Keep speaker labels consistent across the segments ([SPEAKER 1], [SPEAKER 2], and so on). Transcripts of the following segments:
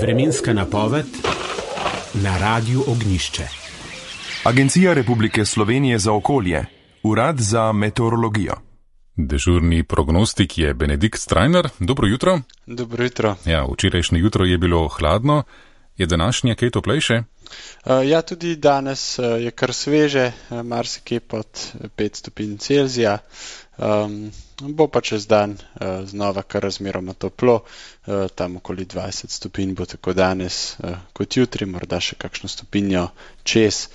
[SPEAKER 1] Vremenska napoved na Radiu Ognjišče.
[SPEAKER 2] Agencija Republike Slovenije za okolje, Urad za meteorologijo.
[SPEAKER 3] Dežurni prognostik je Benedikt Strajnar. Dobro jutro.
[SPEAKER 4] Dobro jutro.
[SPEAKER 3] Ja, včerajšnje jutro je bilo hladno. Je današnje kaj toplejše?
[SPEAKER 4] Ja, tudi danes je kar sveže, marsikje pod 5 stopinj Celzija. Bo pa čez dan znova kar razmeroma toplo, tam okoli 20 stopinj bo tako danes kot jutri, morda še kakšno stopinjo čez.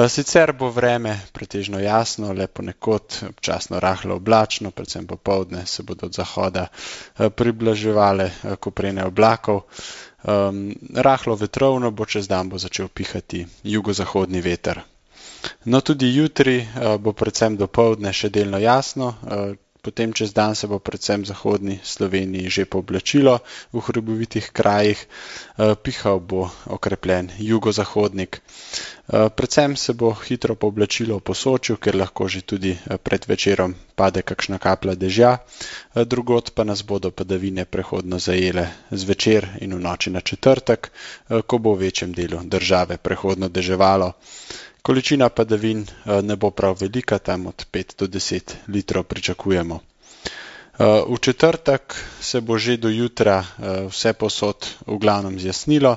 [SPEAKER 4] Sicer bo vreme pretežno jasno, le ponekod občasno rahlo oblačno, predvsem popoldne se bodo od zahoda priblaževale koprene oblakov. Rahlo vetrovno bo, čez dan bo začel pihati jugozahodni veter. No, tudi jutri bo predvsem dopoldne še delno jasno, potem čez dan se bo predvsem v zahodni Sloveniji že pooblačilo v hribovitih krajih, pihal bo okrepljen jugozahodnik. Predvsem se bo hitro pooblačilo v Posočju, ker lahko že tudi pred večerom pade kakšna kaplja dežja, drugod pa nas bodo padavine prehodno zajele zvečer in v noči na četrtek, ko bo v večjem delu države prehodno deževalo. Količina padavin ne bo prav velika, tam od 5 do 10 litrov pričakujemo. V četrtek se bo že do jutra vse povsod v glavnem zjasnilo,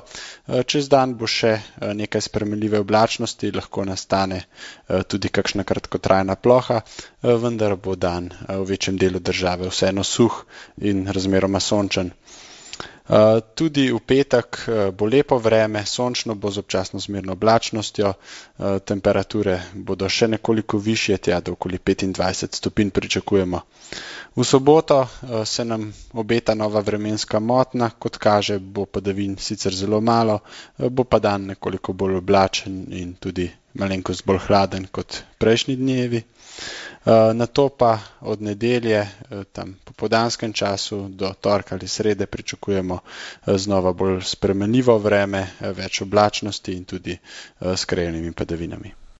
[SPEAKER 4] čez dan bo še nekaj spremenljive oblačnosti, lahko nastane tudi kakšna kratkotrajna ploha, vendar bo dan v večjem delu države vseeno suh in razmeroma sončen. Tudi v petek bo lepo vreme, sončno bo z občasno zmerno oblačnostjo, temperature bodo še nekoliko višje, tja do okoli 25 stopinj pričakujemo. V soboto se nam obeta nova vremenska motnja, kot kaže, bo padavin sicer zelo malo, bo pa dan nekoliko bolj oblačen in tudi malenkost bolj hladen kot prejšnji dnevi. Nato pa od nedelje, tam po popoldanskem času do torka ali srede pričakujemo znova bolj spremenljivo vreme, več oblačnosti in tudi s krajevnimi padavinami.